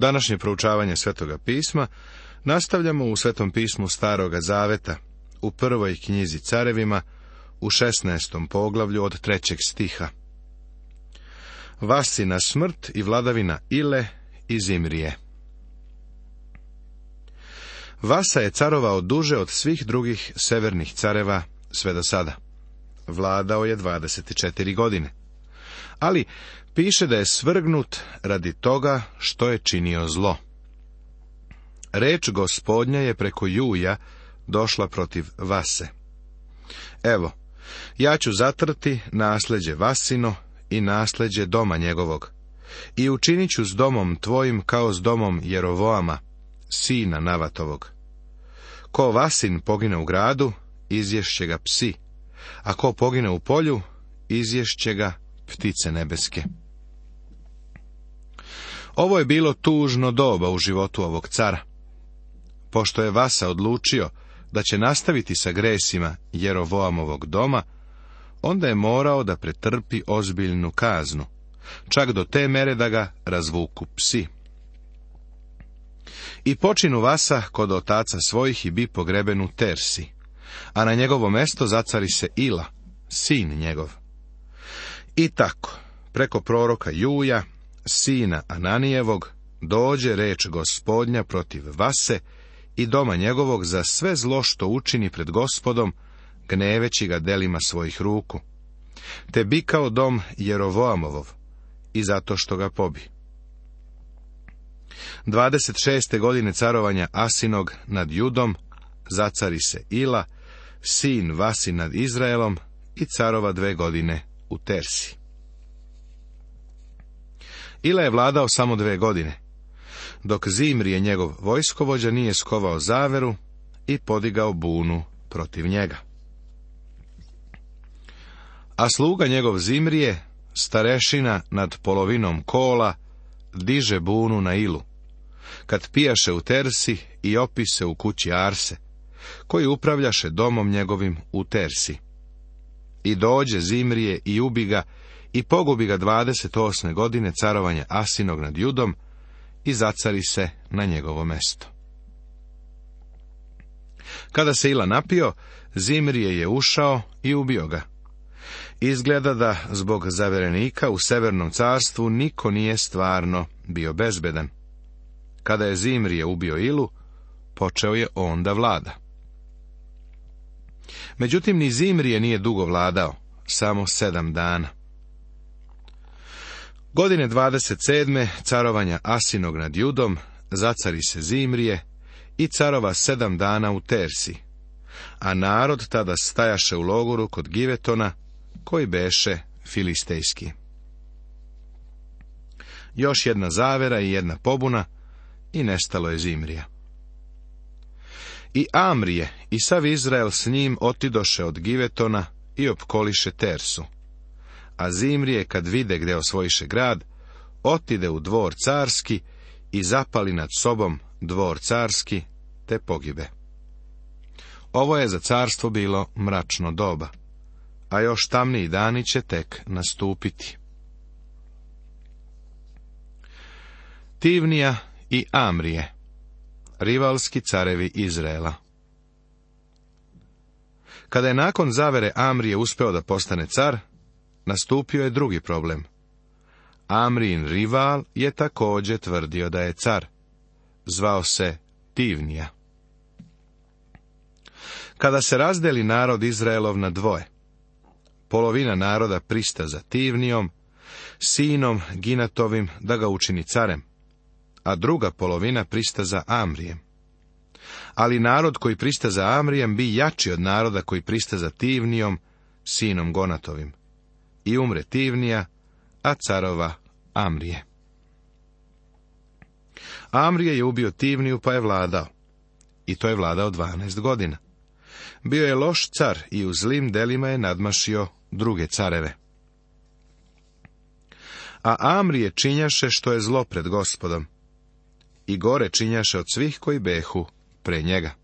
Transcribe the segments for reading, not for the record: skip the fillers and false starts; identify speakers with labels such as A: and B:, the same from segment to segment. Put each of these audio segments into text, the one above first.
A: Današnje proučavanje Svetoga pisma nastavljamo u Svetom pismu Staroga zaveta, u prvoj knjizi Carevima, u 16. poglavlju od 3. stiha. Vasina smrt i vladavina Ile i Zimrije. Vasa je carovao duže od svih drugih severnih careva sve do sada. Vladao je 24 godine. Ali piše da je svrgnut radi toga što je činio zlo. Reč Gospodnja je preko Juja došla protiv Vase. Evo, ja ću zatrti nasljeđe Vasino i nasljeđe doma njegovog, i učinit ću s domom tvojim kao s domom Jerovoama, sina Navatovog. Ko Vasin pogine u gradu, izješće ga psi, a ko pogine u polju, izješće ga ptice nebeske. Ovo je bilo tužno doba u životu ovog cara. Pošto je Vasa odlučio da će nastaviti sa gresima Jerovoamovog doma, onda je morao da pretrpi ozbiljnu kaznu, čak do te mere da ga razvuku psi. I počinu Vasa kod otaca svojih i bi pogreben u Tersi, a na njegovo mesto zacari se Ila, sin njegov. I tako, preko proroka Juja, sina Ananijevog, dođe reč Gospodnja protiv Vase i doma njegovog za sve zlo što učini pred Gospodom, gneveći ga delima svojih ruku, te bi kao dom Jerovoamov, i zato što ga pobi. 26. godine carovanja Asinog nad Judom zacari se Ila, sin Vasi nad Izraelom, i carova 2 godine u Tersi. Ila je vladao samo 2 godine, dok Zimrije njegov vojskovođa nije skovao zaveru i podigao bunu protiv njega. A sluga njegov Zimrije, starešina nad polovinom kola, diže bunu na Ilu, kad pijaše u Tersi i opise u kući Arse, koji upravljaše domom njegovim u Tersi. I dođe Zimrije i ubi ga i pogubi ga 28. godine carovanja Asinog nad Judom i zacari se na njegovo mesto. Kada se Ila napio, Zimrije je ušao i ubio ga. Izgleda da zbog zaverenika u Severnom carstvu niko nije stvarno bio bezbedan. Kada je Zimrije ubio Ilu, počeo je on da vlada. Međutim, ni Zimrije nije dugo vladao, samo 7 dana. Godine 27. carovanja Asinog nad Judom zacari se Zimrije i carova 7 dana u Tersi, a narod tada stajaše u logoru kod Givetona, koji beše filistejski. Još jedna zavera i jedna pobuna i nestalo je Zimrija. I Amrije i sav Izrael s njim otidoše od Givetona i opkoliše Tersu. A Zimrije, kad vide gde osvojiše grad, otide u dvor carski i zapali nad sobom dvor carski, te pogibe. Ovo je za carstvo bilo mračno doba, a još tamniji dani će tek nastupiti. Tivnija i Amrije, rivalski carevi Izraela. Kada je nakon zavere Amrije uspeo da postane car, nastupio je drugi problem. Amrijin rival je također tvrdio da je car. Zvao se Tivnija. Kada se razdeli narod Izraelov na dvoje, polovina naroda prista za Tivnijom, sinom Ginatovim da ga učini carem, a druga polovina prista za Amrijem. Ali narod koji prista za Amrijem bi jači od naroda koji prista za Tivnijom, sinom Gonatovim. I umre Tivnija, a carova Amrije. Amrije je ubio Tivniju pa je vladao. I to je vladao 12 godina. Bio je loš car i u zlim delima je nadmašio druge careve. A Amrije činjaše što je zlo pred Gospodom. I gore činjaše od svih koji behu pre njega.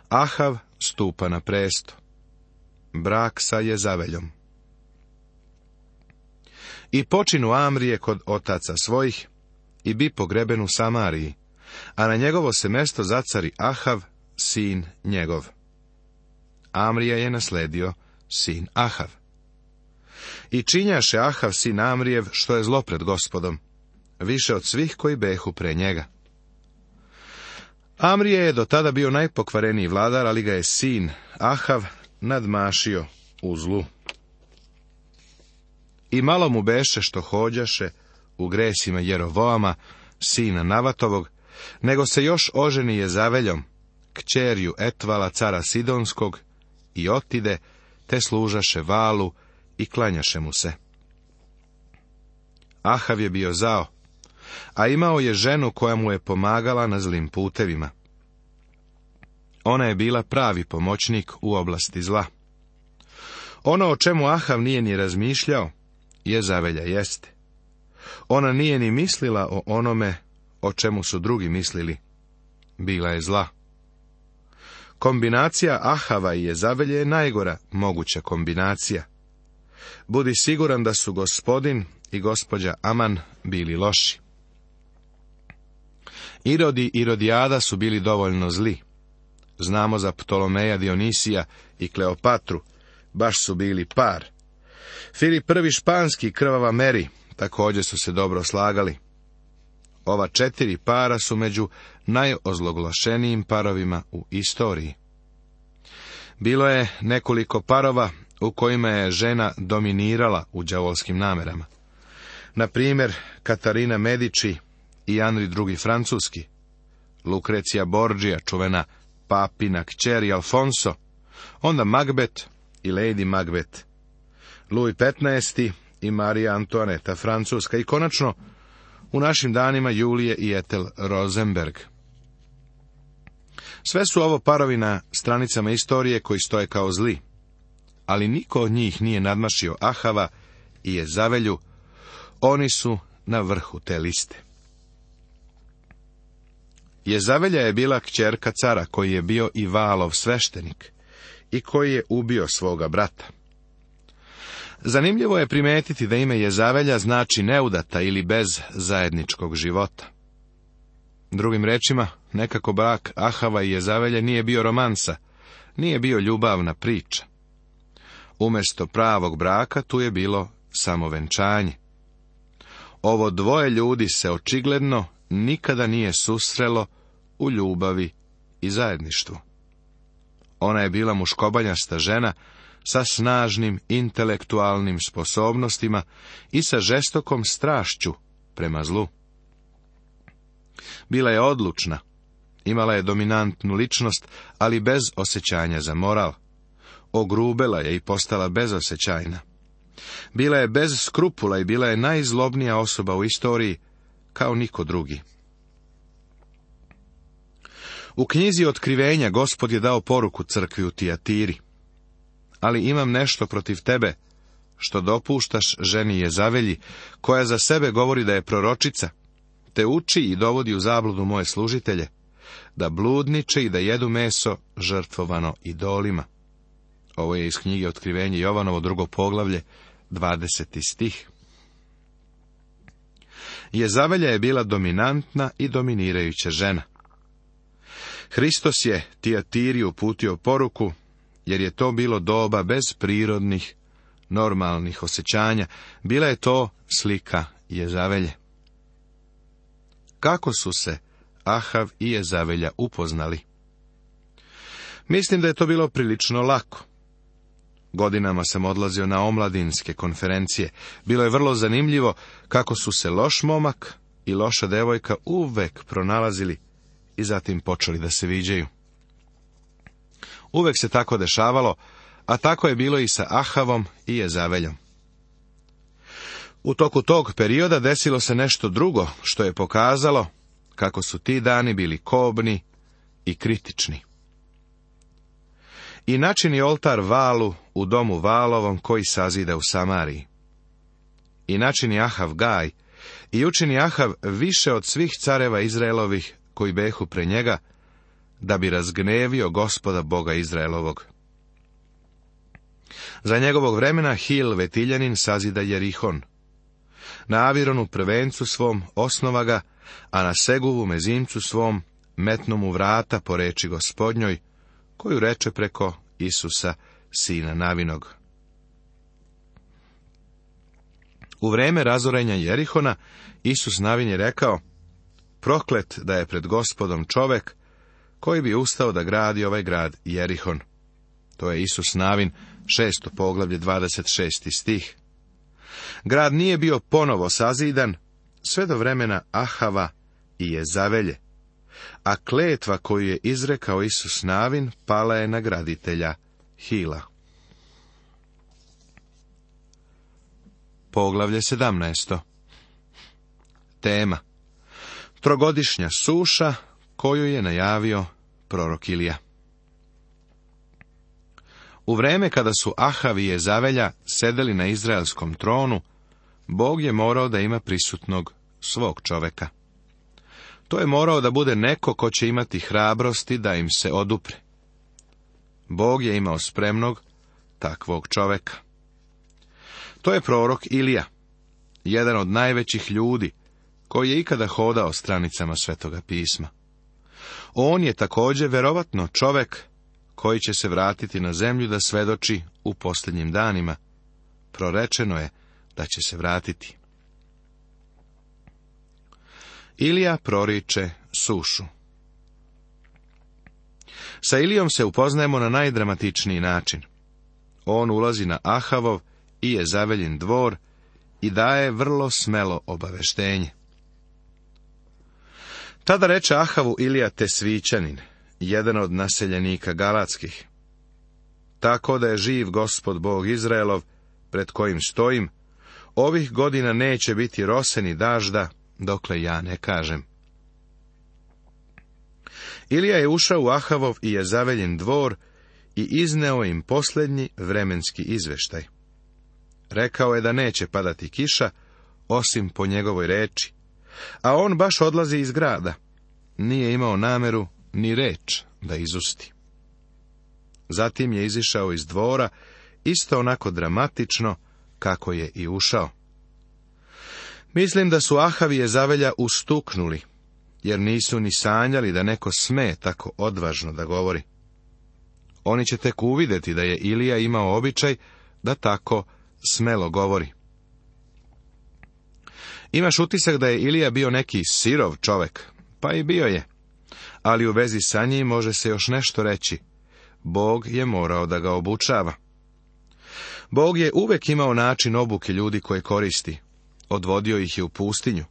A: Ahav stupa na presto. Brak sa Jezaveljom. I počinu Amrije kod otaca svojih, i bi pogreben u Samariji, a na njegovo se mesto zacari Ahav, sin njegov. Amrija je nasledio sin Ahav. I činjaše Ahav, sin Amrijev, što je zlo pred Gospodom, više od svih koji behu pre njega. Amrije je do tada bio najpokvareniji vladar, ali ga je sin Ahav nadmašio u zlu. I malo mu beše što hođaše u gresima Jerovoama, sina Navatovog, nego se još oženi Jezaveljom, kćerju Etvala, cara Sidonskog, i otide, te služaše Valu i klanjaše mu se. Ahav je bio zao, a imao je ženu koja mu je pomagala na zlim putevima. Ona je bila pravi pomoćnik u oblasti zla. Ono o čemu Ahav nije ni razmišljao, Jezavelja jeste. Ona nije ni mislila o onome o čemu su drugi mislili. Bila je zla. Kombinacija Ahava i Jezavelje je najgora moguća kombinacija. Budi siguran da su gospodin i gospođa Aman bili loši. Irod i Irodijada su bili dovoljno zli. Znamo za Ptolomeja, Dionisija i Kleopatru, baš su bili par. Filip I Španski i krvava Meri također su se dobro slagali. Ova 4 para su među najozloglašenijim parovima u istoriji. Bilo je nekoliko parova u kojima je žena dominirala u đavolskim namerama. Na primjer, Katarina Medici i Henri II Francuski, Lukrecija Borgia, čuvena papina kćer Alfonso, onda Macbeth i Lady Macbeth, Louis XV i Marija Antoaneta Francuska i konačno u našim danima Julije i Ethel Rosenberg. Sve su ovo parovi na stranicama istorije koji stoje kao zli, ali niko od njih nije nadmašio Ahava i Jezavelju, oni su na vrhu te liste. Jezavelja je bila kćerka cara koji je bio i Valov sveštenik i koji je ubio svoga brata. Zanimljivo je primetiti da ime Jezavelja znači neudata ili bez zajedničkog života. Drugim rečima, nekako brak Ahava i Jezavelje nije bio romansa, nije bio ljubavna priča. Umjesto pravog braka tu je bilo samo venčanje. Ovo dvoje ljudi se očigledno nikada nije susrelo u ljubavi i zajedništvu. Ona je bila muškobanjasta žena sa snažnim intelektualnim sposobnostima i sa žestokom strašću prema zlu. Bila je odlučna, imala je dominantnu ličnost, ali bez osjećanja za moral. Ogrubela je i postala bezosjećajna. Bila je bez skrupula i bila je najzlobnija osoba u istoriji, kao niko drugi. U knjizi Otkrivenja Gospod je dao poruku crkvi u Tijatiri. Ali imam nešto protiv tebe, što dopuštaš ženi Jezavelji, koja za sebe govori da je proročica, te uči i dovodi u zabludu moje služitelje, da bludniče i da jedu meso žrtvovano idolima. Ovo je iz knjige Otkrivenje Jovanovo, 2. poglavlje, 20. stih. Jezavelja je bila dominantna i dominirajuća žena. Hristos je Tijatiri uputio poruku, jer je to bilo doba bez prirodnih, normalnih osjećanja. Bila je to slika Jezavelje. Kako su se Ahav i Jezavelja upoznali? Mislim da je to bilo prilično lako. Godinama sam odlazio na omladinske konferencije. Bilo je vrlo zanimljivo kako su se loš momak i loša devojka uvek pronalazili i zatim počeli da se viđaju. Uvek se tako dešavalo, a tako je bilo i sa Ahavom i Jezaveljom. U toku tog perioda desilo se nešto drugo, što je pokazalo kako su ti dani bili kobni i kritični. I načini oltar Valu u domu Valovom koji sazida u Samariji. I načini Ahav Gaj, i učini Ahav više od svih careva Izraelovih koji behu pre njega, da bi razgnevio Gospoda Boga Izraelovog. Za njegovog vremena Hil Vetiljanin sazida Jerihon. Na Avironu prvencu svom osnova ga, a na Seguvu mezimcu svom metnu mu vrata po reči Gospodnjoj, koju reče preko Isusa, sina Navinog. U vreme razorenja Jerihona, Isus Navin je rekao: proklet da je pred Gospodom čovek koji bi ustao da gradi ovaj grad Jerihon. To je Isus Navin, 6. poglavlje, 26. stih. Grad nije bio ponovo sazidan sve do vremena Ahava i Jezavelje, a kletva koju je izrekao Isus Navin pala je na graditelja Hila. Poglavlje 17. Tema: trogodišnja suša koju je najavio prorok Ilija. U vreme kada su Ahav i Jezavelja sedeli na izraelskom tronu, Bog je morao da ima prisutnog svog čoveka. To je morao da bude neko ko će imati hrabrosti da im se odupre. Bog je imao spremnog takvog čoveka. To je prorok Ilija, jedan od najvećih ljudi koji je ikada hodao stranicama Svetoga pisma. On je također verovatno čovek koji će se vratiti na zemlju da svedoči u posljednjim danima. Prorečeno je da će se vratiti. Ilija proriče sušu. Sa Ilijom se upoznajemo na najdramatičniji način. On ulazi na Ahavov i Jezaveljin dvor i daje vrlo smelo obaveštenje. Tada reče Ahavu Ilija Tesvićanin, jedan od naseljenika Galatskih: tako da je živ Gospod Bog Izraelov, pred kojim stojim, ovih godina neće biti rose ni dažda, dokle ja ne kažem. Ilija je ušao u Ahavov i Jezaveljin dvor i izneo im posljednji vremenski izveštaj. Rekao je da neće padati kiša, osim po njegovoj reči, a on baš odlazi iz grada. Nije imao nameru ni reč da izusti. Zatim je izišao iz dvora, isto onako dramatično kako je i ušao. Mislim da su Ahav i Jezavelja ustuknuli, jer nisu ni sanjali da neko sme tako odvažno da govori. Oni će tek uvidjeti da je Ilija imao običaj da tako smelo govori. Imaš utisak da je Ilija bio neki sirov čovek, pa i bio je, ali u vezi sa njim može se još nešto reći. Bog je morao da ga obučava. Bog je uvek imao način obuke ljudi koje koristi. Odvodio ih je u pustinju.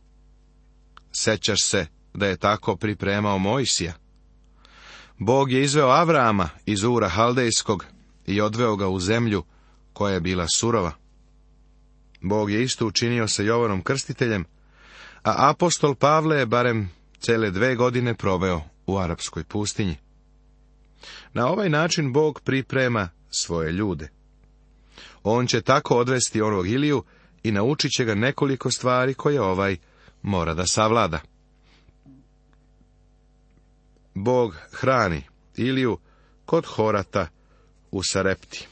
A: Sećaš se da je tako pripremao Mojsija. Bog je izveo Avrama iz Ura Haldejskog i odveo ga u zemlju koja je bila surova. Bog je isto učinio sa Jovanom Krstiteljem, a apostol Pavle je barem cele 2 godine proveo u arapskoj pustinji. Na ovaj način Bog priprema svoje ljude. On će tako odvesti onog Iliju i naučit će ga nekoliko stvari koje ovaj mora da savlada. Bog hrani Iliju kod Horata u Sarepti.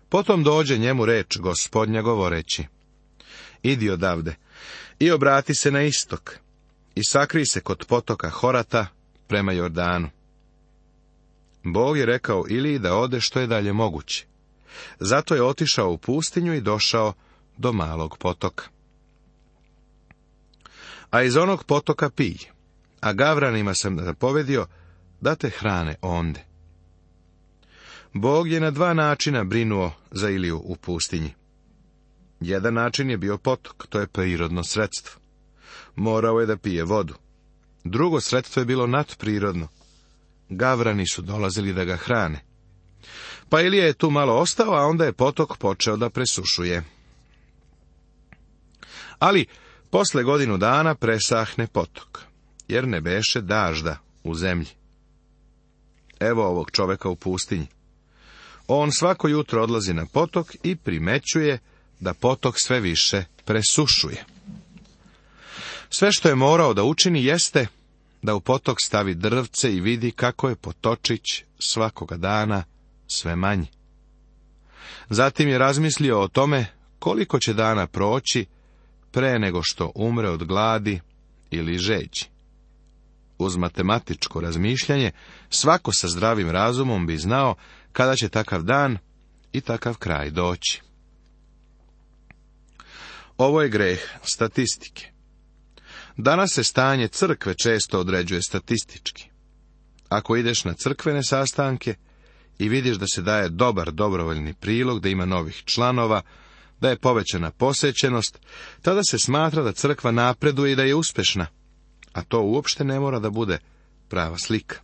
A: Potom dođe njemu reč Gospodnja govoreći: idi odavde i obrati se na istok i sakri se kod potoka Horata prema Jordanu. Bog je rekao Iliji da ode što je dalje moguće. Zato je otišao u pustinju i došao do malog potoka. A iz onog potoka pij, a gavranima sam zapovedio da te hrane onde. Bog je na 2 načina brinuo za Iliju u pustinji. Jedan način je bio potok, to je prirodno sredstvo. Morao je da pije vodu. Drugo sredstvo je bilo nadprirodno. Gavrani su dolazili da ga hrane. Pa Ilija je tu malo ostao, a onda je potok počeo da presušuje. Ali, posle 1 godinu dana presahne potok, jer ne beše dažda u zemlji. Evo ovog čoveka u pustinji. On svako jutro odlazi na potok i primećuje da potok sve više presušuje. Sve što je morao da učini jeste da u potok stavi drvce i vidi kako je potočić svakoga dana sve manji. Zatim je razmislio o tome koliko će dana proći pre nego što umre od gladi ili žeđi. Uz matematičko razmišljanje, svako sa zdravim razumom bi znao kada će takav dan i takav kraj doći. Ovo je greh statistike. Danas se stanje crkve često određuje statistički. Ako ideš na crkvene sastanke i vidiš da se daje dobar dobrovoljni prilog, da ima novih članova, da je povećana posjećenost, tada se smatra da crkva napreduje i da je uspješna, a to uopšte ne mora da bude prava slika.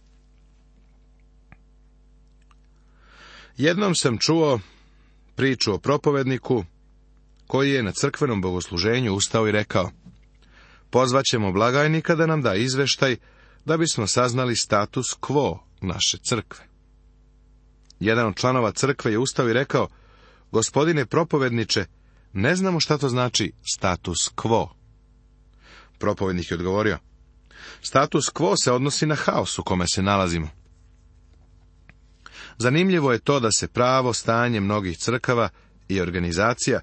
A: Jednom sam čuo priču o propovedniku koji je na crkvenom bogosluženju ustao i rekao: pozvaćemo blagajnika da nam da izveštaj da bismo saznali status quo naše crkve. Jedan od članova crkve je ustao i rekao: gospodine propovedniče, ne znamo šta to znači status quo. Propovednik je odgovorio: status quo se odnosi na haos u kome se nalazimo. Zanimljivo je to da se pravo stanje mnogih crkava i organizacija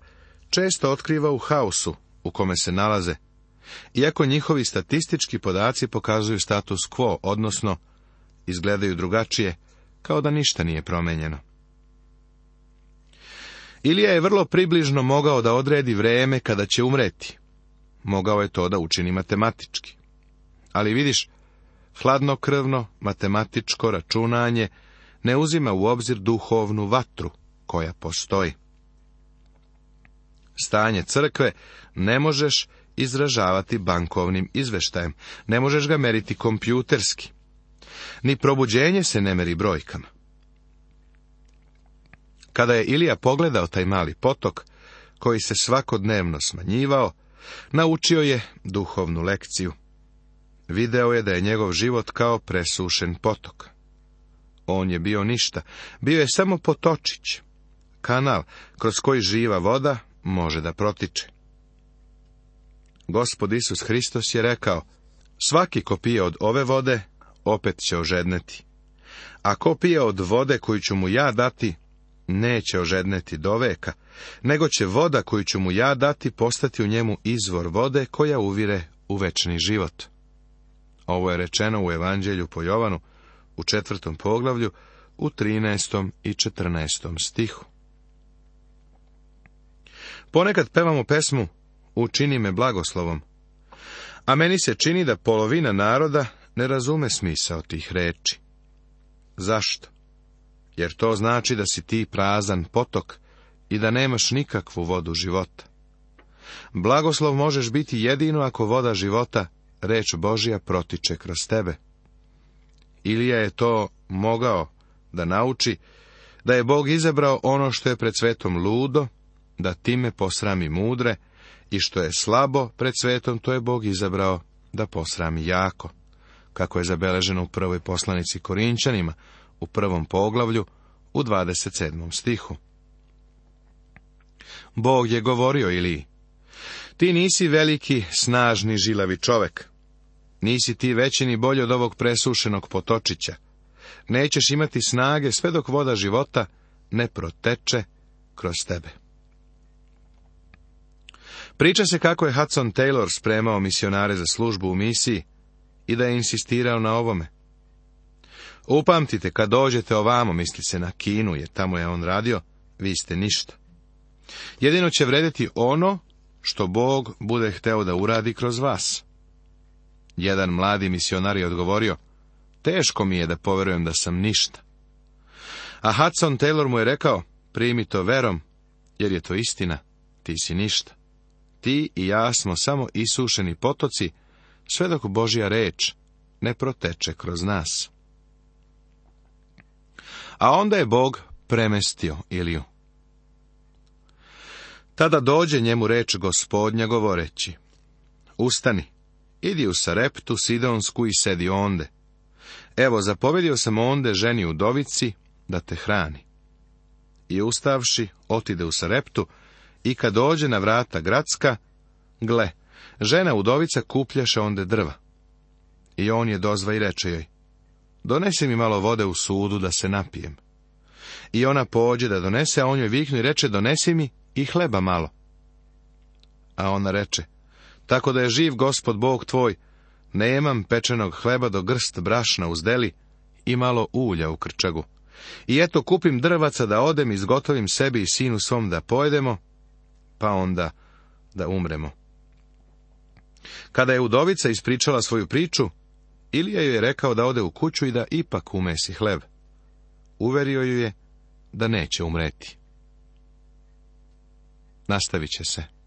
A: često otkriva u haosu u kome se nalaze, iako njihovi statistički podaci pokazuju status quo, odnosno izgledaju drugačije, kao da ništa nije promenjeno. Ilija je vrlo približno mogao da odredi vreme kada će umreti. Mogao je to da učini matematički. Ali vidiš, hladnokrvno matematičko računanje ne uzima u obzir duhovnu vatru koja postoji. Stanje crkve ne možeš izražavati bankovnim izveštajem, ne možeš ga meriti kompjuterski. Ni probuđenje se ne meri brojkama. Kada je Ilija pogledao taj mali potok, koji se svakodnevno smanjivao, naučio je duhovnu lekciju. Video je da je njegov život kao presušen potok. On je bio ništa, bio je samo potočić, kanal kroz koji živa voda može da protiče. Gospod Isus Hristos je rekao: svaki ko pije od ove vode, opet će ožedneti. A ko pije od vode koju ću mu ja dati, neće ožedneti do veka, nego će voda koju ću mu ja dati postati u njemu izvor vode koja uvire u večni život. Ovo je rečeno u Evanđelju po Jovanu, u 4. poglavlju, u 13. i 14. stihu. Ponekad pevamo pesmu Učini me blagoslovom, a meni se čini da polovina naroda ne razume smisao tih reči. Zašto? Jer to znači da si ti prazan potok i da nemaš nikakvu vodu života. Blagoslov možeš biti jedino ako voda života, reč Božja, protiče kroz tebe. Ilija je to mogao da nauči, da je Bog izabrao ono što je pred svetom ludo, da time posrami mudre, i što je slabo pred svetom, to je Bog izabrao da posrami jako, kako je zabeleženo u prvoj poslanici Korinćanima, u 1. poglavlju, u 27. stihu. Bog je govorio Iliji: ti nisi veliki, snažni, žilavi čovek. Nisi ti veći ni bolji od ovog presušenog potočića. Nećeš imati snage sve dok voda života ne proteče kroz tebe. Priča se kako je Hudson Taylor spremao misionare za službu u misiji i da je insistirao na ovome. Upamtite, kad dođete ovamo, misli se na Kinu, jer tamo je on radio, vi ste ništa. Jedino će vrediti ono što Bog bude hteo da uradi kroz vas. Jedan mladi misionar je odgovorio: teško mi je da poverujem da sam ništa. A Hudson Taylor mu je rekao: primi to verom, jer je to istina, ti si ništa. Ti i ja smo samo isušeni potoci, sve dok Božja reč ne proteče kroz nas. A onda je Bog premestio Iliju. Tada dođe njemu reč Gospodnja govoreći: ustani, idi u Sareptu Sidonsku i sedi onde. Evo, zapovedio sam onde ženi udovici da te hrani. I ustavši, otide u Sareptu, i kad dođe na vrata gradska, gle, žena udovica kupljaše onde drva. I on je dozva i reče joj: donesi mi malo vode u sudu da se napijem. I ona pođe da donese, a on joj viknu i reče: donesi mi i hleba malo, A ona reče, tako da je živ Gospod Bog tvoj, nemam pečenog hleba do grst brašna uz deli i malo ulja u krčagu. I eto kupim drvaca da odem i izgotovim sebi i sinu svom da pojedemo, pa onda da umremo. Kada je udovica ispričala svoju priču, Ilija joj je rekao da ode u kuću i da ipak umesi hleb. Uverio ju je da neće umreti. Nastavit će se.